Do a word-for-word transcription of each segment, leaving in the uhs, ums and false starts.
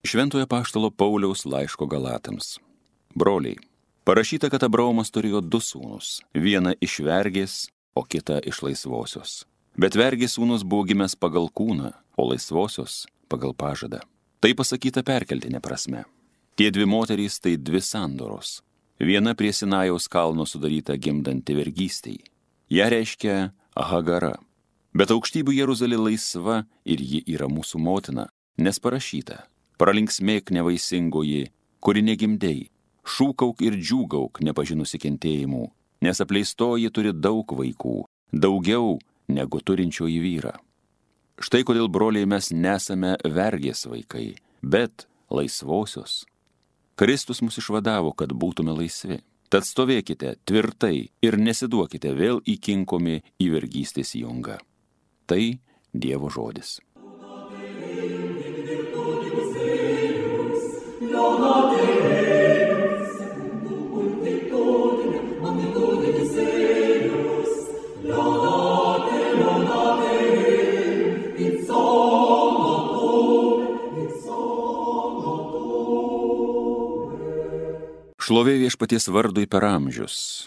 Šventojo apaštalo Pauliaus laiško Galatams. Broliai, parašyta, kad Abraomas turėjo du sūnus, vieną iš vergės, o kitą iš laisvosios. Bet vergės sūnus buvo gimęs pagal kūną, o laisvosios pagal pažadą. Tai pasakyta perkeltinė prasme. Tie dvi moterys tai dvi sandoros. Viena prie Sinajaus kalno sudaryta gimdanti vergystei. Ja reiškia Hagara. Bet aukštybių Jeruzalė laisva ir ji yra mūsų motina, nes parašyta: pralinksmėk nevaisingoji, kuri negimdei, šūkauk ir džiūgauk nepažinusi kentėjimų, nes apleistoji turi daug vaikų, daugiau negu turinčioji vyrą. Štai kodėl, broliai, mes nesame vergės vaikai, bet laisvosios. Kristus mus išvadavo, kad būtume laisvi. Tad stovėkite tvirtai ir nesiduokite vėl įkinkomi į vergystės jungą. Tai Dievo žodis. Šlovė viešpaties vardui per amžius.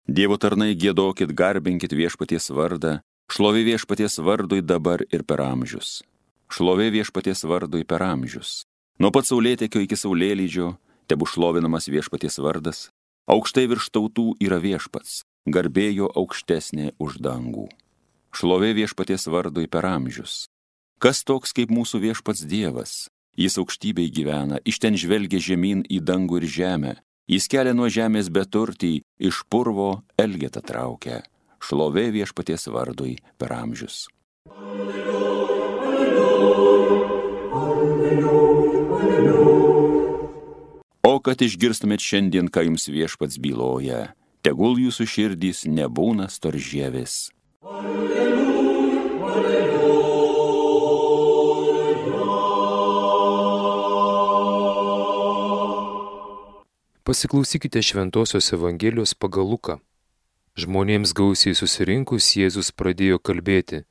Dievo tarnai, giedokit, garbinkit viešpaties vardą. Šlovė viešpaties vardui dabar ir per amžius. Šlovė viešpaties vardui per amžius. Nuo pat saulėtekio iki saulėlydžio tebu šlovinamas viešpaties vardas. Aukštai virš tautų yra viešpats, garbėjo aukštesnė už dangų. Šlovė viešpaties vardui per amžius. Kas toks kaip mūsų viešpats Dievas? Jis aukštybėj gyvena, iš ten žvelgia žemyn į dangų ir žemę. Jis kelia nuo žemės beturtį, iš purvo elgetą traukia. Šlovė viešpaties vardui per amžius. O kad išgirstumėt šiandien, ką jums viešpats byloja, tegul jūsų širdys nebūna storžievis. Pasiklausykite Šventosios Evangelijos pagal Luką. Žmonėms gausiai susirinkus Jėzus pradėjo kalbėti: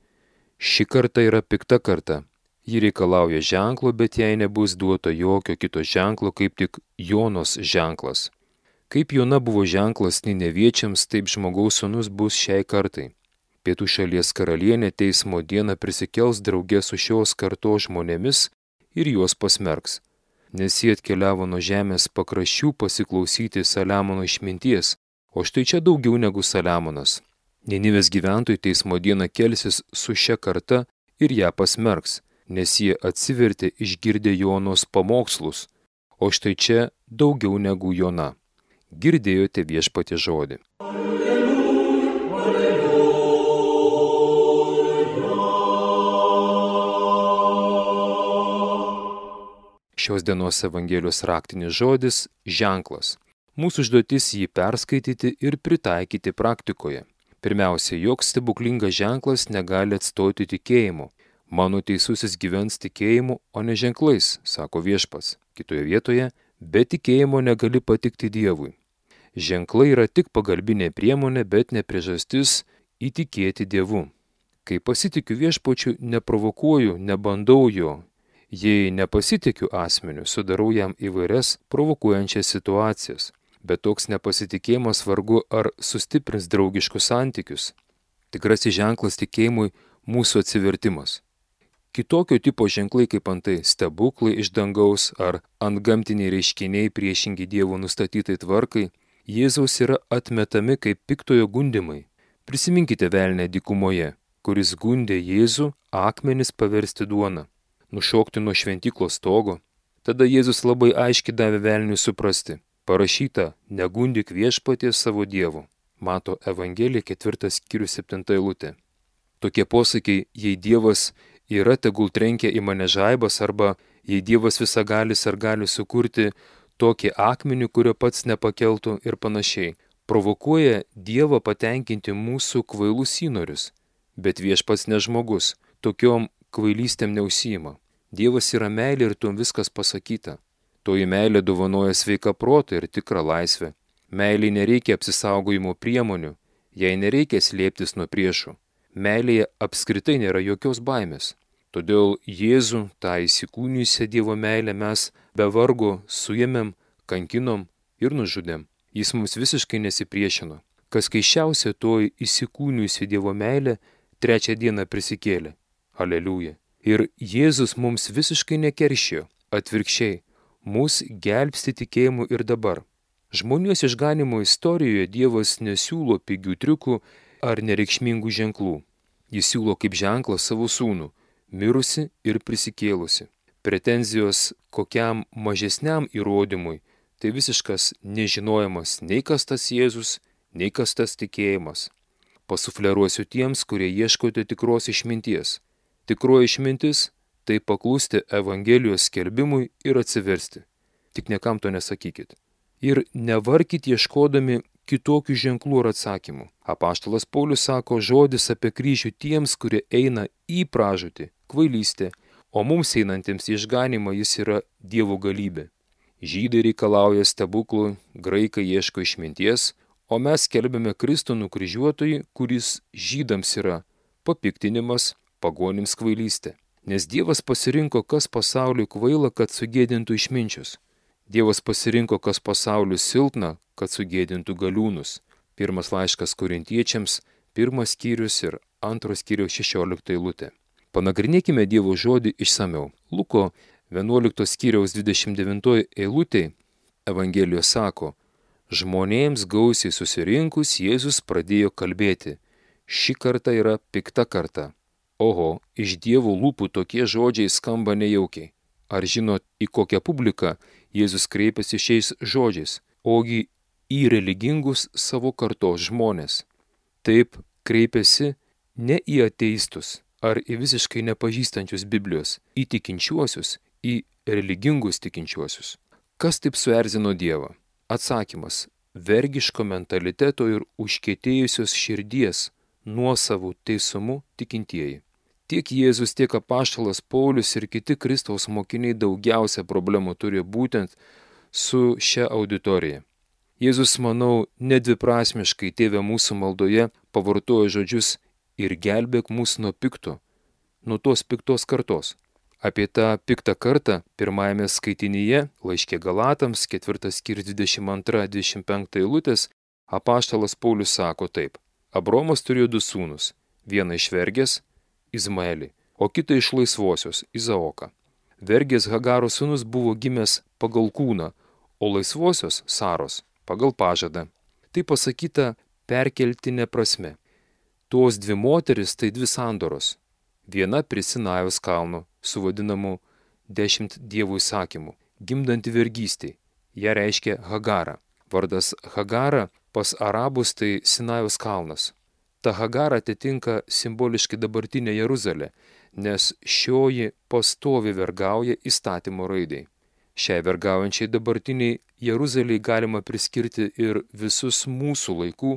ši karta yra pikta karta. Ji reikalauja ženklo, bet jai nebus duota jokio kito ženklo, kaip tik Jonos ženklas. Kaip Jona buvo ženklas Nineviečiams, taip žmogaus sūnus bus šiai kartai. Pietų šalies karalienė teismo dieną prisikels drauge su šios kartos žmonėmis ir juos pasmerks. Nes jie atkeliavo nuo žemės pakraščių pasiklausyti Saliamono išminties, o štai čia daugiau negu Saliamonas. Ninivės gyventojai teismo dieną kelsis su šia karta ir ją pasmerks, nes jie atsivertė išgirdę Jonos pamokslus, o štai čia daugiau negu Jona. Girdėjote viešpaties žodį. Šios dienos Evangelijos raktinis žodis – ženklas. Mūsų užduotis jį perskaityti ir pritaikyti praktikoje. Pirmiausia, joks stebuklingas ženklas negali atstoti tikėjimu. Mano teisusis gyvens tikėjimu, o ne ženklais, sako viešpats. Kitoje vietoje, be tikėjimo negali patikti Dievui. Ženklai yra tik pagalbinė priemonė, bet ne priežastis įtikėti Dievu. Kai pasitikiu viešpačiu, neprovokuoju, nebandau jo. Jei nepasitikiu asmeniu, sudarau jam įvairias provokuojančias situacijas, bet toks nepasitikėjimas vargu ar sustiprins draugiškus santykius. Tikrasis ženklas tikėjimui mūsų atsivertimas. Kitokio tipo ženklai kaip antai stebuklai iš dangaus ar antgamtiniai reiškiniai priešingi Dievo nustatytai tvarkai, Jėzaus yra atmetami kaip piktojo gundymai. Prisiminkite velnę dykumoje, kuris gundė Jėzų akmenis paversti duoną, nušokti nuo šventyklos stogo. Tada Jėzus labai aiškiai davė velniui suprasti. Parašyta, negundyk viešpaties savo Dievo. Mato Evangelija ketvirtas skyrius septinta eilutė. Tokie posakiai, jei Dievas yra, tegul trenkia į mane žaibas, arba jei Dievas visagalis ar gali sukurti tokį akmenį, kurio pats nepakeltų ir panašiai, provokuoja Dievą patenkinti mūsų kvailus įnorius. Bet viešpats ne žmogus, tokiom kvailystėm neužsiima. Dievas yra meilė ir tuom viskas pasakyta. Toji meilė dovanoja sveiką protą ir tikrą laisvę. Meilei nereikia apsisaugojimo priemonių, jai nereikia slėptis nuo priešų. Meilėje apskritai nėra jokios baimės. Todėl Jėzų, tą įsikūnijusią Dievo meilę, mes be vargo suėmėm, kankinom ir nužudėm. Jis mums visiškai nesipriešino. Kas keiščiausia, toji įsikūnijusi Dievo meilė trečią dieną prisikėlė. Aleliuja. Ir Jėzus mums visiškai nekeršijo. Atvirkščiai, mus gelbsti tikėjimu ir dabar. Žmonijos išganimo istorijoje Dievas nesiūlo pigių triukų ar nereikšmingų ženklų. Jis siūlo kaip ženklą savo sūnų, mirusi ir prisikėlusi. Pretenzijos kokiam mažesniam įrodymui tai visiškas nežinojimas nei kas tas Jėzus, nei kas tas tikėjimas. Pasufleruosiu tiems, kurie ieškote tikros išminties. Tikroji išmintis tai paklusti Evangelijos skelbimui ir atsiversti. Tik niekam to nesakykit. Ir nevarkit ieškodami kitokių ženklų ar atsakymų. Apaštalas Paulius sako žodis apie kryžių tiems, kurie eina į pražūtį, kvailystę, o mums einantiems į išganimą jis yra Dievo galybė. Žydai reikalauja stebuklų, graikai ieško išminties, o mes skelbiame Kristų nukryžiuotojį, kuris žydams yra papiktinimas, pagonims kvailystė. Nes Dievas pasirinko, kas pasauliui kvaila, kad sugėdintų išminčius. Dievas pasirinko, kas pasauliui silpna, kad sugėdintų galiūnus. Pirmas laiškas Korintiečiams, pirmas skyrius ir antros skyriaus šešiolikta eilutė. Panagrinėkime Dievo žodį išsamiau. Luko vienuoliktos skyriaus dvidešimt devintoji eilutė Evangelijos sako: žmonėms gausiai susirinkus Jėzus pradėjo kalbėti. Ši karta yra pikta karta. Oho, iš Dievo lūpų tokie žodžiai skamba nejaukiai. Ar žinot, į kokią publiką Jėzus kreipiasi šiais žodžiais? Ogi į religingus savo kartos žmonės. Taip kreipiasi ne į ateistus ar į visiškai nepažįstančius Biblijos, į tikinčiuosius, į religingus tikinčiuosius. Kas taip suerzino Dievą? Atsakymas – vergiško mentaliteto ir užkietėjusios širdies nuosavų teisumu tikintieji. Tiek Jėzus, tiek apaštalas Paulius ir kiti Kristaus mokiniai daugiausia problemų turi būtent su šia auditorija. Jėzus, manau, nedviprasmiškai Tėve mūsų maldoje pavartojo žodžius ir gelbėk mus nuo pikto, nuo tos piktos kartos. Apie tą piktą kartą pirmajame skaitinyje, laiške Galatams, ketvirtas skyrius dvidešimt antra dvidešimt penkta eilutės, apaštalas Paulius sako taip. Abromas turėjo du sūnus, vieną iš vergės, Izmaelį, o kitą iš laisvosios, Izaoką. Vergės Hagaro sūnus buvo gimęs pagal kūną, o laisvosios Saros pagal pažadą. Tai pasakyta perkeltinė prasme. Tos dvi moteris tai dvi sandoros. Viena prie Sinajaus kalno, su vadinamu dešimt dievų įsakymų, gimdanti vergystei. Ją reiškia Hagarą. Vardas Hagara pas arabus tai Sinajaus kalnas. Ta Hagara atitinka simboliškai dabartinę Jeruzalę, nes šioji pastovi vergauja įstatymo raidai. Šiai vergaujančiai dabartiniai Jeruzalei galima priskirti ir visus mūsų laikų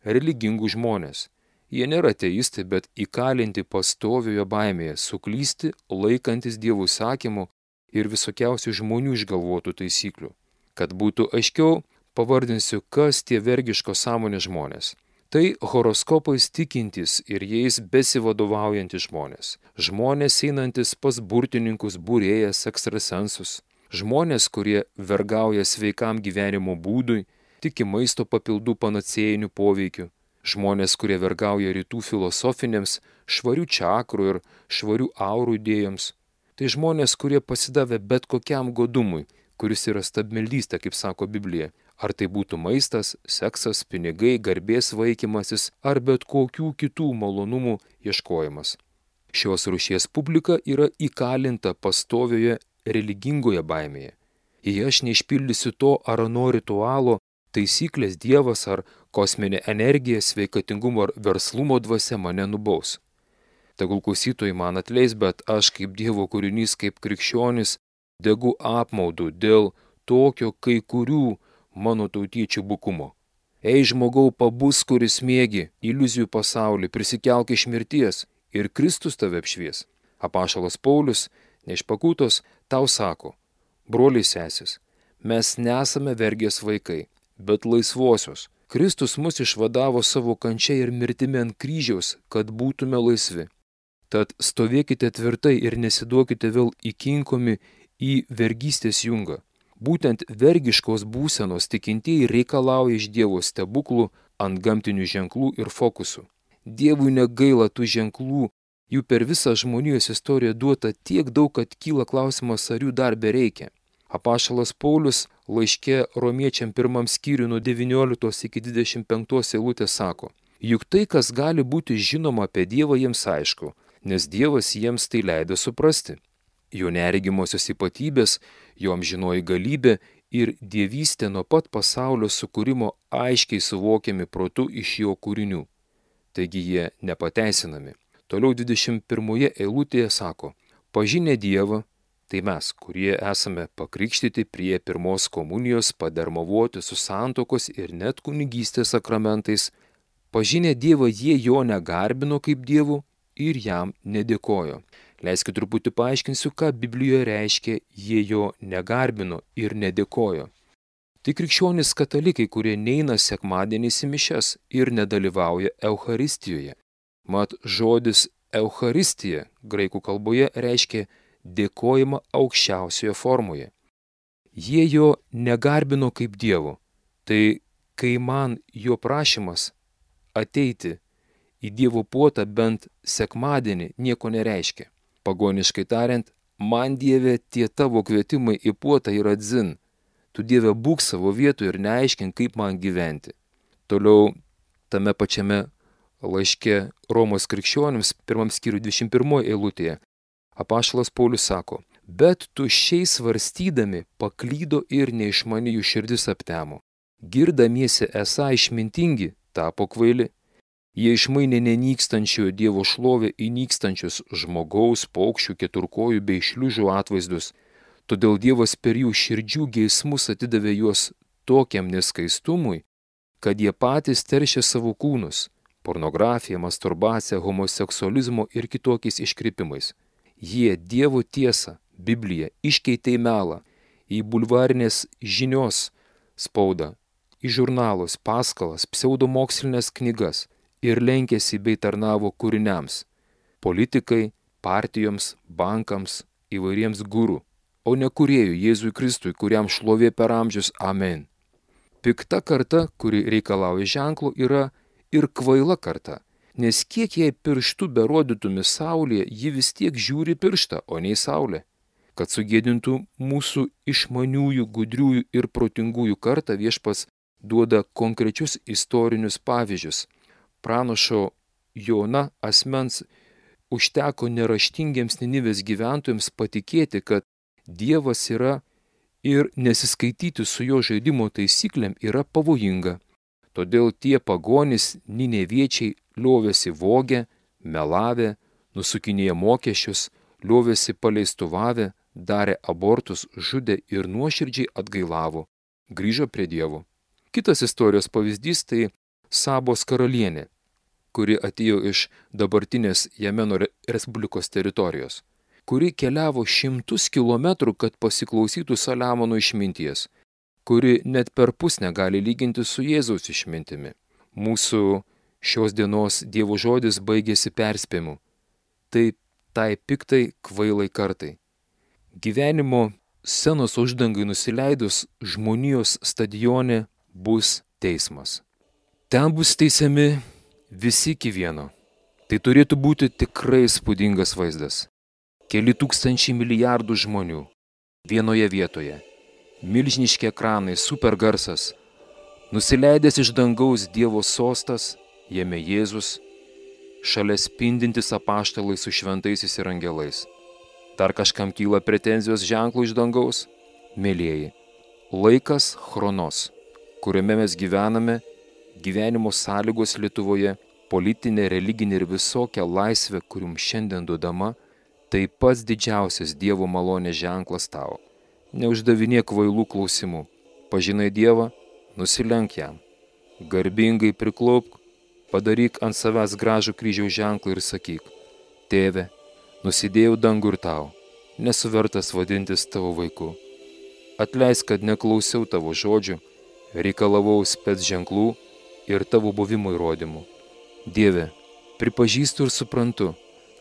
religingų žmonės. Jie nėra ateistai, bet įkalinti pastovioje baimėje, suklysti, laikantis Dievo įsakymų ir visokiausių žmonių išgalvotų taisyklių. Kad būtų aiškiau, pavardinsiu, kas tie vergiško sąmonės žmonės. Tai horoskopais tikintys ir jais besivadovaujantis žmonės. Žmonės einantis pas burtininkus, būrėjas, ekstrasensus. Žmonės, kurie vergauja sveikam gyvenimo būdui, tiki maisto papildų panacėjinių poveikių. Žmonės, kurie vergauja rytų filosofinėms, švarių čakrų ir švarių aurų idėjoms. Tai žmonės, kurie pasidavė bet kokiam godumui, kuris yra stabmeldystė, kaip sako Biblija. Ar tai būtų maistas, seksas, pinigai, garbės vaikymasis ar bet kokių kitų malonumų ieškojimas. Šios rūšies publika yra įkalinta pastovioje religingoje baimėje. Jei aš neišpildysiu to ar ano ritualo, taisyklės Dievas ar kosminė energija, sveikatingumo ar verslumo dvasia mane nubaus. Tegul klausytojai man atleis, bet aš kaip Dievo kūrinys, kaip krikščionis, degu apmaudu dėl tokio kai kurių mano tautiečių bukumo. Ei žmogau, pabus, kuris mėgi iliuzijų pasaulį, prisikelk iš mirties ir Kristus tave apšvies. Apaštalas Paulius, neišpakutos, tau sako, broliai sesės, mes nesame vergės vaikai, bet laisvosios. Kristus mus išvadavo savo kančia ir mirtimi ant kryžiaus, kad būtume laisvi. Tad stovėkite tvirtai ir nesiduokite vėl įkinkomi į vergystės jungą. Būtent vergiškos būsenos tikintieji reikalauja iš Dievo stebuklų, antgamtinių ženklų ir fokusų. Dievui negaila tų ženklų, jų per visą žmonijos istoriją duota tiek daug, kad kyla klausimas, ar jų dar bereikia. Apaštalas Paulius laiške romiečiam pirmam skyriui nuo devynioliktos iki dvidešimt penktos eilutės sako: juk tai, kas gali būti žinoma apie Dievą, jiems aišku, nes Dievas jiems tai leido suprasti. Jo neregimosios ypatybės, jo amžinoji galybė ir dievystė nuo pat pasaulio sukūrimo aiškiai suvokiami protu iš jo kūrinių. Taigi jie nepateisinami. Toliau dvidešimt pirmoje eilutėje sako: pažinę Dievą, tai mes, kurie esame pakrikštyti prie pirmos komunijos, padermavoti su santuokos ir net kunigystės sakramentais, pažinę Dievą jie jo negarbino kaip Dievu ir jam nedėkojo. Leiskit truputį paaiškinsiu, ką Biblijoje reiškia jie jo negarbino ir nedėkojo. Tai krikščionys katalikai, kurie neina sekmadieniais į mišias ir nedalyvauja Eucharistijoje. Mat žodis Eucharistija graikų kalboje reiškia dėkojimą aukščiausioje formoje. Jie jo negarbino kaip Dievo. Tai kai man jo prašymas ateiti į Dievo puotą bent sekmadienį nieko nereiškia. Pagoniškai tariant, man Dieve tie tavo kvietimai į puotą yra dzin. Tu Dieve būk savo vietoje ir neaiškink, kaip man gyventi. Toliau tame pačiame laiške Romos krikščionims pirmam skyriui dvidešimt pirmoje eilutėje apaštalas Paulius sako: bet tuščiai svarstydami paklydo ir neišmani jų širdis aptemo. Girdamiesi esą išmintingi, tapo kvaili. Jie išmainė nenykstančiojo Dievo šlovę į nykstančius žmogaus, paukščių, keturkojų bei šliužų atvaizdus. Todėl Dievas per jų širdžių geismus atidavė juos tokiam neskaistumui, kad jie patys teršė savo kūnus pornografija, masturbacija, homoseksualizmo ir kitokiais iškrypimais. Jie Dievo tiesą, Bibliją, iškeitė į melą, į bulvarinės žinios spaudą, į žurnalus, paskalas, pseudomokslinės knygas ir lenkėsi bei tarnavo kūriniams, politikai, partijoms, bankams, įvairiems gurų, o ne kūrėjui Jėzui Kristui, kuriam šlovė per amžius. Amen. Pikta karta, kuri reikalauja ženklų, yra ir kvaila karta, nes kiek jai pirštų berodytumi saulėje, ji vis tiek žiūri pirštą, o ne į saulę. Kad sugėdintų mūsų išmaniųjų, gudriųjų ir protingųjų kartą, Viešpats duoda konkrečius istorinius pavyzdžius. Pranašo Jona asmens užteko neraštingiems Ninivės gyventojams patikėti, kad Dievas yra ir nesiskaityti su jo žaidimo taisyklėm yra pavojinga. Todėl tie pagonys nineviečiai liovėsi vogę, melavę, nusukinėję mokesčius, liovėsi paleistuvavę, darė abortus, žudė ir nuoširdžiai atgailavo, grįžo prie Dievo. Kitas istorijos pavyzdys tai Sabos karalienė, kuri atėjo iš dabartinės Jemeno Respublikos teritorijos, kuri keliavo šimtus kilometrų, kad pasiklausytų Saliamono išminties, kuri net per pus negali lyginti su Jėzaus išmintimi. Mūsų šios dienos Dievo žodis baigėsi perspėjimu. Tai tai piktai kvailai kartai. Gyvenimo scenos uždangai nusileidus žmonijos stadione bus teismas. Ten bus teisiami visi iki vieno. Tai turėtų būti tikrai įspūdingas vaizdas. Keli tūkstančiai milijardų žmonių vienoje vietoje. Milžiniški ekranai, supergarsas. Nusileidęs iš dangaus Dievo sostas, jame Jėzus, šalia spindintis apaštalai su šventaisiais ir angelais. Dar kažkam kyla pretenzijos ženklų iš dangaus? Mėlieji, laikas chronos, kuriame mes gyvename, gyvenimo sąlygos Lietuvoje, politinė, religinė ir visokia laisvė, kurium šiandien duodama, tai pats didžiausias Dievo malonės ženklas tau. Neuždavinėk kvailų klausimų. Pažinai Dievą, nusilenk jam. Garbingai priklaupk, padaryk ant savęs gražų kryžiaus ženklą ir sakyk: Tėve, nusidėjau dangų ir tau, nesu vertas vadintis tavo vaiku. Atleisk, kad neklausiau tavo žodžių, reikalavau spec ženklų ir tavo buvimo įrodymų. Dieve, pripažįstu ir suprantu,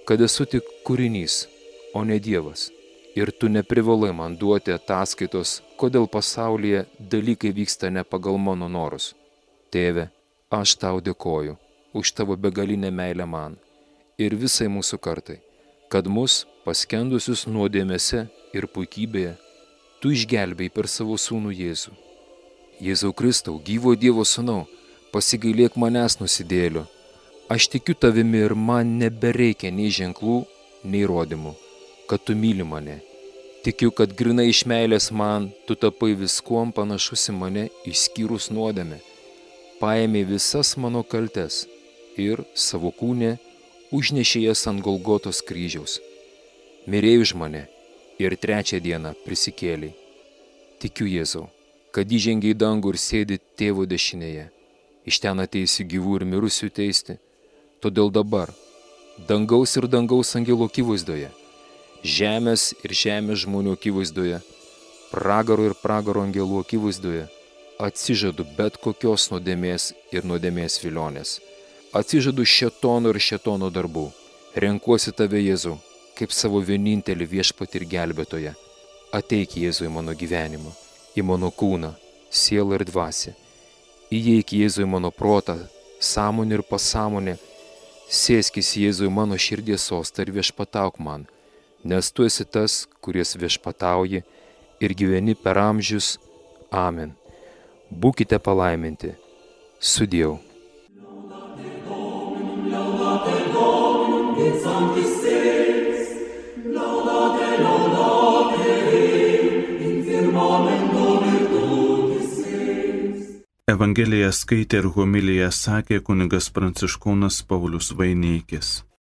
kad esu tik kūrinys, o ne Dievas. Ir tu neprivalai man duoti ataskaitos, kodėl pasaulyje dalykai vyksta ne pagal mano norus. Tėve, aš tau dėkoju už tavo begalinę meilę man ir visai mūsų kartai, kad mus, paskendusius nuodėmėse ir puikybėje, tu išgelbėjai per savo sūnų Jėzų. Jėzau Kristau, gyvo Dievo sūnau, pasigailėk manęs nusidėlio. Aš tikiu tavimi ir man nebereikia nei ženklų, nei įrodymų, kad tu myli mane. Tikiu, kad grinai iš meilės man tu tapai viskuom panašus į mane išskyrus nuodėmę. Paėmė visas mano kaltes ir savo kūne užnešė jas ant Golgotos kryžiaus. Mirėjai už mane ir trečią dieną prisikėlei. Tikiu, Jėzau, kad įžengei į dangų ir sėdi tėvo dešinėje. Iš ten ateisi gyvų ir mirusių teisti. Todėl dabar, dangaus ir dangaus angelų akivaizdoje, žemės ir žemės žmonių akivaizdoje, pragaro ir pragaro angelų akivaizdoje, atsižadu bet kokios nuodėmės ir nuodėmės vilionės. Atsižadu šėtono ir šėtono darbų. Renkuosi tave, Jėzau, kaip savo vienintelį viešpatį ir gelbėtoją. Ateik, Jėzau, į mano gyvenimą, į mano kūną, sielą ir dvasią. Įeik, Jėzau, į mano protą, sąmonę ir pasąmonę. Sėskis, Jėzau, į mano širdies sostą ir viešpatauk man, nes tu esi tas, kuris viešpatauji ir gyveni per amžius. Amen. Būkite palaiminti. Sudieu. Evangeliją skaitė ir homiliją sakė kunigas Pranciškonas Paulius Vaineikis.